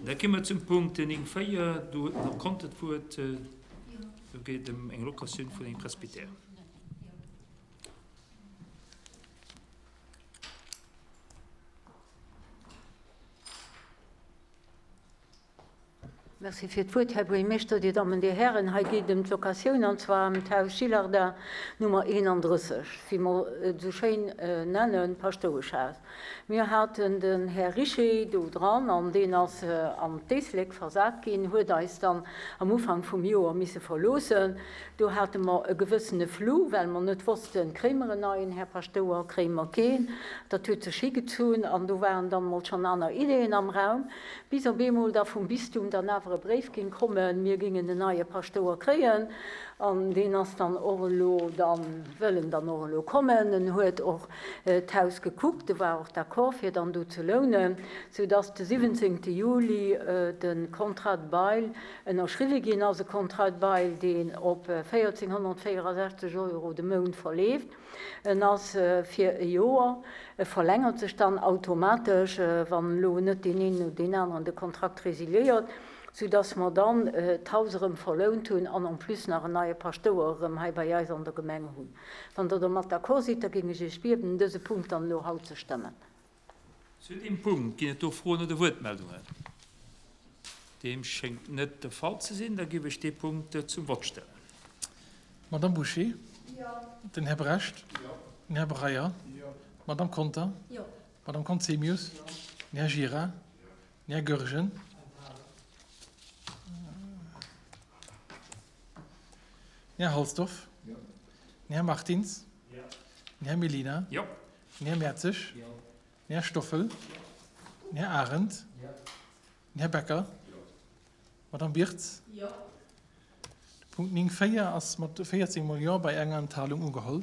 Da gi mer zum Punkt 9, 4. Do huet den Här Conter d'Wuert. Do geet et ëm eng Locatioun vun engem Presbytère. Merci fir d'Wuert, Här Buergermeeschter, Dir Dammen, Dir Hären. Hei geet et ëm d'Locatioun, an zwar ëm d'Haus Gillardin Nummer 31, wéi mer et esou schéin nennen, d'Paschtoueschhaus. Mir haten den Här Richer do dran, an deen ass an d'Éislek versat ginn, huet eis dann am Ufank vum Joer misse verloossen. Do hate mer e gewëssene Flou, well mer net wossten, kréie mer en neien Här Paschtouer, kréie mer keen. Dat huet sech higezunn an do waren dann emol schonn aner Ideeën am Raum, bis op eemol da vum Bistum dann awer e Bréif géing kommen, mir géingen en neie Paschtouer kréien. An deen ass dann och elo dann, wëll en dann och elo kommen. En huet och d'Haus gekuckt, e war och d'accord fir dann do ze lounen, soudass de 17 Juli de Contrat de bail Ënnerschriwwe ginn ass e Contrat de bail, deen op 1.464 Euro de Mount verleeft. En ass fir e Joer. E verlängert sech dann automatesch, wann elo net deen een oder deen aneren de Kontrakt resiliéiert, soudass mer dann d'Haus erëm verlount hunn an en plus nach en neie Paschtouer erëm hei bei eis an der Gemeng hunn. Wann Der domat d'accord sidd, da géing ech Iech bieden, dëse Punkt dann elo haut ze stëmmen. Zu deem Punkt ginn et do Froen oder Wuertmeldungen? Deem schéngt net de Fall ze sinn. Da géif ech dee Punkt zum Vott stellen. D'Madame Bouché? Den Här Brecht? Den Här Breyer? D'Madame Conter? D'Madame Conzemius? Den Här Gira? Den Här Goergen? Den Här Halsdorf? Den Här Martins? Den Här Mellina? Den Här Mertzig? Den Här Stoffel? Den Här Arendt? Den Här Becker? D'Madame Birtz? De Punkt 9, 4 ass mat 14 mol Jo bei enger Enthalung ugeholl.